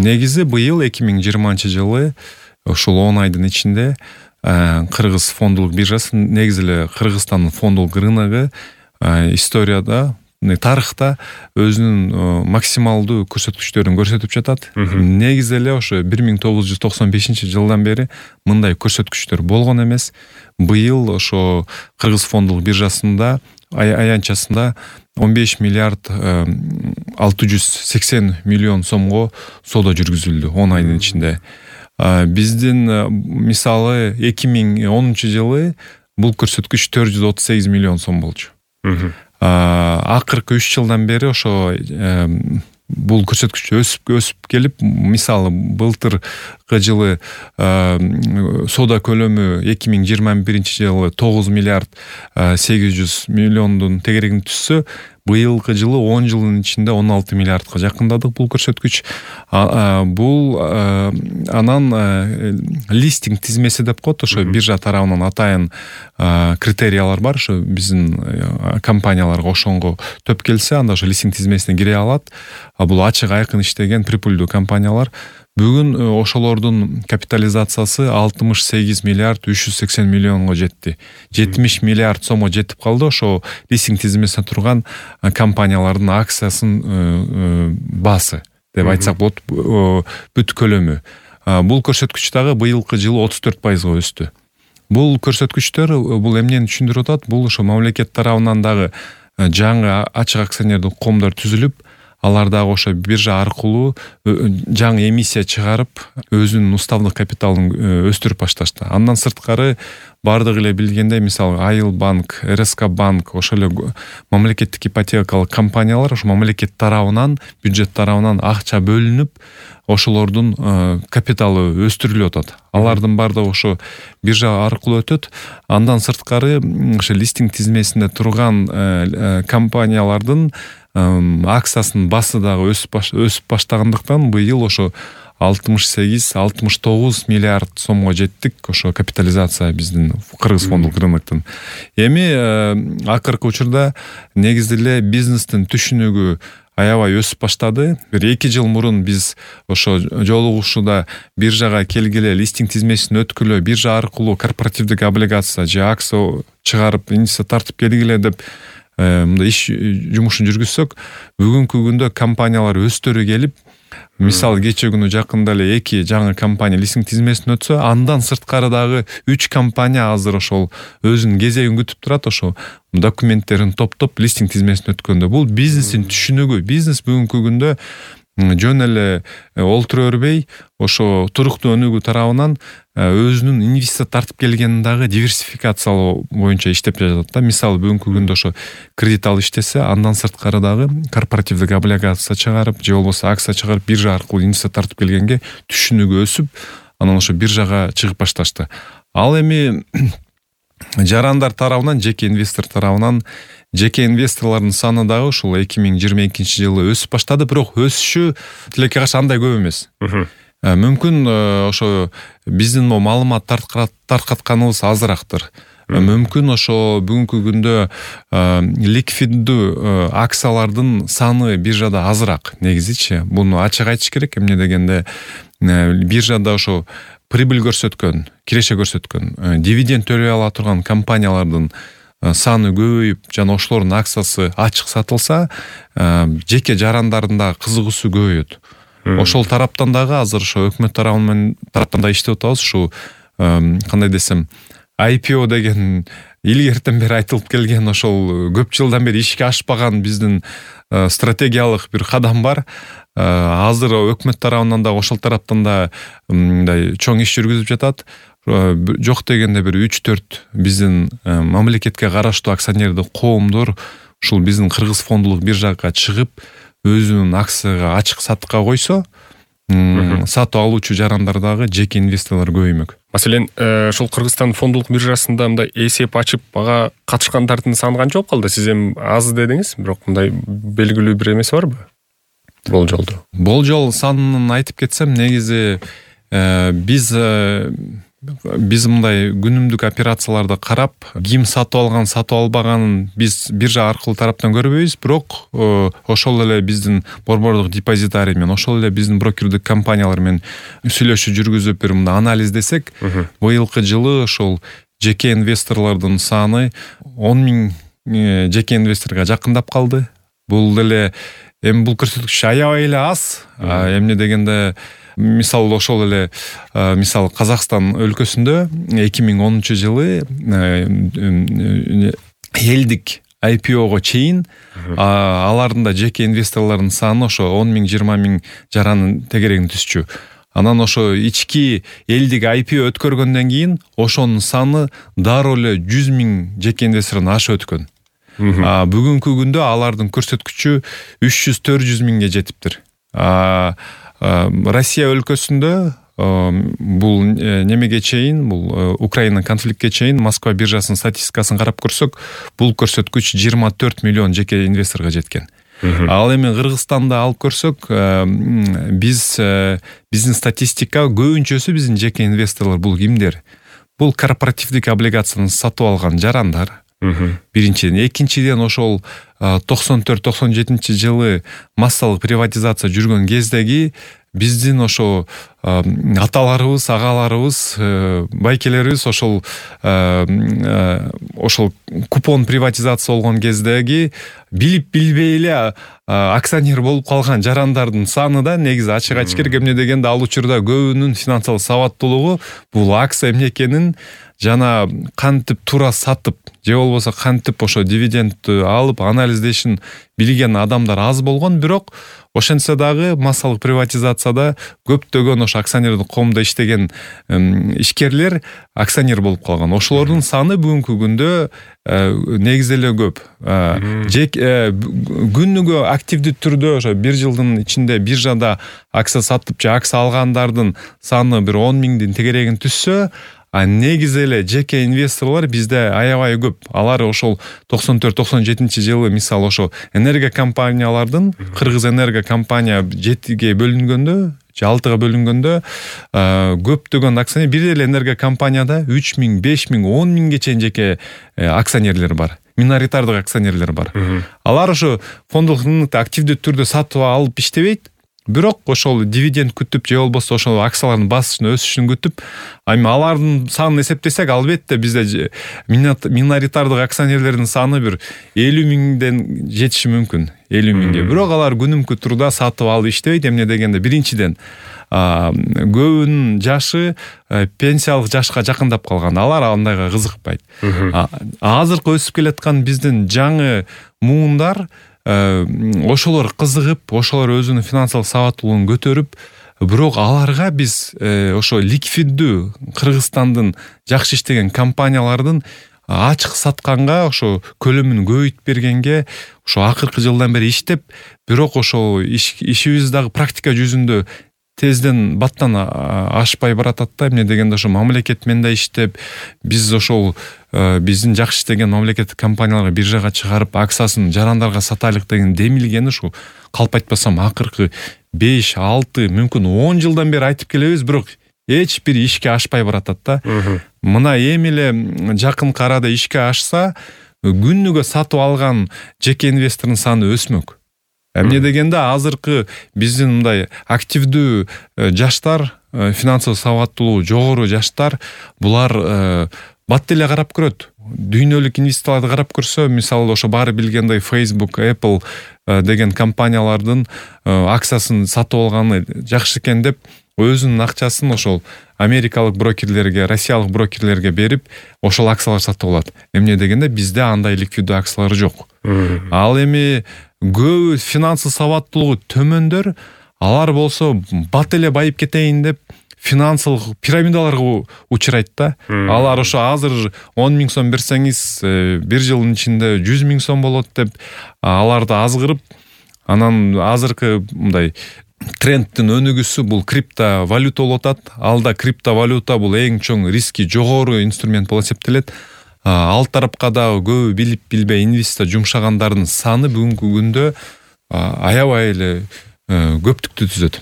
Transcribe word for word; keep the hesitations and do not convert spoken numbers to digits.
Негизи быйыл эки миң жыйырманчы жылы ушул он айдын ичинде Кыргыз фондулук биржасы, негизи эле Кыргызстандын фондулук рыногу историяда, тарыхта өзүнүн максималдуу көрсөткүчтөрүн көрсөтүп жатат. Негизи эле ошо бир миң тогуз жүз токсон бешинчи жылдан бери мындай көрсөткүчтөр болгон эмес. Быйыл ошо Кыргыз фондулук биржасында аянтчасында он беш миллиард алты жүз сексен миллион сомго соода жүргүзүлдү он айдын ичинде. Биздин мисалы эки миң онунчу жылы бул көрсөткүч төрт жүз отуз сегиз миллион сом болчу. Акыркы үч жылдан бери ошо бул көрсөткүч өсүп өсүп келип, мисалы былтыркы жылы соода көлөмү эки миң жыйырма биринчи жылы тогуз миллиард сегиз жүз миллиондун тегерегине түшсө, быйылкы жылы он жылдын ичинде он алты миллиардка жакындадык бул көрсөткүч. Бул анан листинг тизмеси деп коет, ошо биржа тарабынан атайын критериялар бар. Ошо биздин компанияларга ошонго төп келсе, анда ошо листинг тизмесине кире алат. Бул ачык айкын иштеген прибыльдүү компаниялар. Бүгүн ошолордун капитализациясы алтымыш сегиз миллиард үч жүз сексен миллионго жетти. жетимиш миллиард сомго жетип калды ошо листинг тизмесинде турган компаниялардын акциясынын баасы деп айтсак болот, бүт көлөмү. Бул көрсөткүч дагы быйылкы жылы отуз төрт пайызга өстү. Бул көрсөткүчтөр бул эмнени түшүндүрүп атат? Бул ошо мамлекет тарабынан дагы жаңы ачык акционердик коомдор түзүлүп, алар дагы ошо биржа аркылуу жаңы эмиссия чыгарып, өзүнүн уставдык капиталын өстүрүп башташты. Андан сырткары бардыгы эле билгендей, мисалы Айыл банк, эр эс ка банк, ошол эле мамлекеттик ипотекалык компаниялар ошо мамлекет тарабынан, бюджет тарабынан акча бөлүнүп, ошолордун капиталы өстүрүлүп атат. Алардын бардыгы ошо биржа аркылуу өтөт. Андан сырткары ошо листинг тизмесинде турган компаниялардын акциясынын баасы дагы өсүп баштагандыктан быйыл ошо алтымыш сегиз алтымыш тогуз миллиард сомго жеттик, ошо капитализация биздин Кыргыз фондулук рыноктун. Эми акыркы учурда негизи эле бизнестин түшүнүгү аябай өсүп баштады. Бир эки жыл мурун биз ошо жолугушууда биржага келгиле, листинг тизмесин өткүлө, биржа аркылуу корпоративдик облигация же акция чыгарып, инвестиция тартып келгиле деп мындай иш жумушун жүргүзсөк, бүгүнкү күндө компаниялар өстөрү келип, мисалы кече күнү жакында эле эки жаңы компания листинг тизмесине өтсө, андан сырткары дагы үч компания азыр ошол өзүнүн кезегин күтүп турат, ошо документтерин топтоп листинг тизмесине өткөндө. Бул бизнестин түшүнүгү. Бизнес бүгүнкү күндө жөн эле олтура бербей, ошо туруктуу өнүгүү тарабынан өзүнүн инвестиция тартып келгенин дагы диверсификациялоо боюнча иштеп жатат да. Мисалы бүгүнкү күндө ошо кредит алып иштесе, андан сырткары дагы корпоративдик облигация чыгарып, же болбосо акция чыгарып, биржа аркылуу инвестиция тартып келгенге түшүнүгү өсүп, анан ошо биржага чыгып башташты. Ал эми жарандар тарабынан, жеке инвестор тарабынан, жеке инвесторлордун саны дагы ушул эки миң жыйырма экинчи жылы өсүп баштады, бирок өсүшү тилекке каршы андай көп эмес. Мүмкүн ошо биздин маалымат таркатканыбыз азырактыр. Мүмкүн ошо бүгүнкү күндө ликвиддүү акциялардын саны биржада азыраак негизичи. Буну ачык айтыш керек. Эмне дегенде биржада ошо прибыль көрсөткөн, киреше көрсөткөн, дивиденд төлөй ала турган компаниялардын саны көбөйүп, жана ошолордун акциясы ачык сатылса, жеке жарандардын да кызыгуусу көбөйөт. Ошол тараптан дагы азыр ошо өкмөт тарабынан тараптан да иштеп атабыз. Ушу кандай десем, ай пи о деген илгертен бери айтылып келген, ошол көп жылдан бери ишке ашпаган биздин стратегиялык бир кадам бар. Азыр өкмөт тарабынан да ошол тараптан да мындай чоң иш жүргүзүп жатат. Жок дегенде бир үч төрт биздин мамлекетке караштуу акционердик коомдор ушул биздин Кыргыз фондулук биржага чыгып, өзүнүн акцияга ачык сатыкка койсо, сатып алуучу жарандар дагы жеке инвесторлор көбөймөк. Маселен, ушул Кыргызстан фондулук биржасында мындай эсеп ачып, ага катышкандардын саны канча болуп калды? Сиз эми аз дедиңиз, бирок мындай белгилүү бир эмеси барбы? Болжолду. Болжол санын айтып кетсем, негизи биз биз мындай күнүмдүк операцияларды карап, ким сатып алган, сатып албаганын биз биржа аркылуу тараптан көрбөйбүз, бирок ошол эле биздин борбордук депозитарий менен, ошол эле биздин брокердик компаниялар менен сүйлөшүү жүргүзүп, бир мындай анализдесек, быйылкы жылы ошол жеке инвесторлордун саны он миң жеке инвесторго жакындап калды. Бул деле эми бул көрсөткүч аябай эле аз. Эмне дегенде, мисалы ошол эле мисалы Казакстан өлкөсүндө эки миң онунчу жылы элдик ай пи ого чейин алардын да жеке инвесторлордун саны ошо он миң жыйырма миң жаранын тегерегин түзчү. Анан ошо ички элдик ай пи о өткөргөндөн кийин ошонун саны дароо эле жүз миң жеке инвестордон ашып өткөн. Бүгүнкү күндө алардын көрсөткүчү үч жүз төрт жүз миңге жетиптир. Россия өлкөсүндө бул немеге чейин, бул Украина конфликтке чейин Москва биржасынын статистикасын карап көрсөк, бул көрсөткүч жыйырма төрт миллион жеке инвесторго жеткен. Ал эми Кыргызстанда алып көрсөк, биз биздин статистика көбүнчөсү биздин жеке инвесторлор бул кимдер? Бул корпоративдик облигацияны сатып алган жарандар. Биринчиден, экинчиден ошол токсон төрт токсон жетинчи жылы массалык приватизация жүргөн кездеги биздин ошо аталарыбыз, агаларыбыз, байкелерибиз ошол ошол купон приватизация болгон кездеги билип билбей эле акционер болуп калган жарандардын саны да негизи ачык айтыш керек. Эмне дегенде, ал учурда көбүнүн финансылык сабаттуулугу бул акция эмне экенин жана кантип туура сатып, же болбосо кантип ошо дивидендти алып анализдешин билген адамдар аз болгон. Бирок ошентсе дагы массалык приватизацияда көптөгөн ошо акционердик коомдо иштеген ишкерлер акционер болуп калган. Ошолордун саны бүгүнкү күндө негизи эле көп. Күнүгө активдүү түрдө ошо бир жылдын ичинде биржада акция сатып же акция алгандардын саны бир он миңдин тегерегин түзсө, а негизи эле жеке инвесторлор бизде аябай көп. Алар ошол токсон төрт токсон жетинчи жылы мисалы ошо энерго компаниялардын, Кыргыз энерго компания жетиге бөлүнгөндө, же алтыга бөлүнгөндө көптөгөн акционер, бир эле энерго компанияда үч миң, беш миң, он миңге чейин жеке акционерлер бар. Миноритардык акционерлер бар. Алар ошо фонддук рынокто активдүү түрдө сатып алып иштебейт. Бирок ошол дивиденд күтүп, же болбосо ошол акциялардын басышын өсүшүн күтүп, эми алардын санын эсептесек, албетте бизде миноритардык акционерлердин саны бир элүү миңден жетиши мүмкүн. элүү миңге. Бирок алар күнүмкү турда сатып алып иштебейт. Эмне дегенде, биринчиден көбүнүн жашы пенсиялык жашка жакындап калган. Алар андайга кызыкпайт. Азыркы өсүп келаткан биздин жаңы муундар ошолор кызыгып, ошолор өзүнүн финансылык сабаттуулугун көтөрүп, бирок аларга биз ошо ликвиддүү Кыргызстандын жакшы иштеген компаниялардын ачык сатканга, ошо көлөмүн көбөйтүп бергенге, ошо акыркы жылдан бери иштеп, бирок ошо ишибиз дагы практика жүзүндө тезден баттан ашпай баратат да. Эмне дегенде, ошо мамлекет менен да иштеп, биз ошол биздин жакшы иштеген мамлекеттик компанияларга биржага чыгарып, акциясын жарандарга сатайлык деген демилгени ушу калп айтпасам акыркы беш, алты, мүмкүн он жылдан бери айтып келебиз, бирок эч бир ишке ашпай баратат да. Мына эми эле жакынкы арада ишке ашса, күнүгө сатып алган жеке инвестордун саны өсмөк. Эмне дегенде, азыркы биздин мындай активдүү жаштар, финансылык сабаттуулугу жогору жаштар, булар бат эле карап көрөт. Дүйнөлүк инвесторлорду карап көрсө, мисалы ошо баары билгендей Facebook, Apple деген компаниялардын акциясын сатып алганы жакшы экен деп, өзүнүн акчасын ошол америкалык брокерлерге, россиялык брокерлерге берип, ошол акциялар сатып алат. Эмне дегенде, бизде андай ликвиддүү акциялар жок. Ал эми көбү финансылык сабаттуулугу төмөндөр, алар болсо бат эле байып кетейин деп финансылык пирамидаларга учурайт да. Алар ошо азыр он миң сом берсеңиз, бир жылдын ичинде жүз миң сом болот деп аларды азгырып, анан азыркы мындай трендтин өнүгүүсү бул криптовалюта болуп атат. Алда криптовалюта бул эң чоң риски жогору инструмент болуп эсептелет. Ал тарапка дагы көбү билип билбей инвестиция жумшагандардын саны бүгүнкү күндө аябай эле көптүктү түзөт.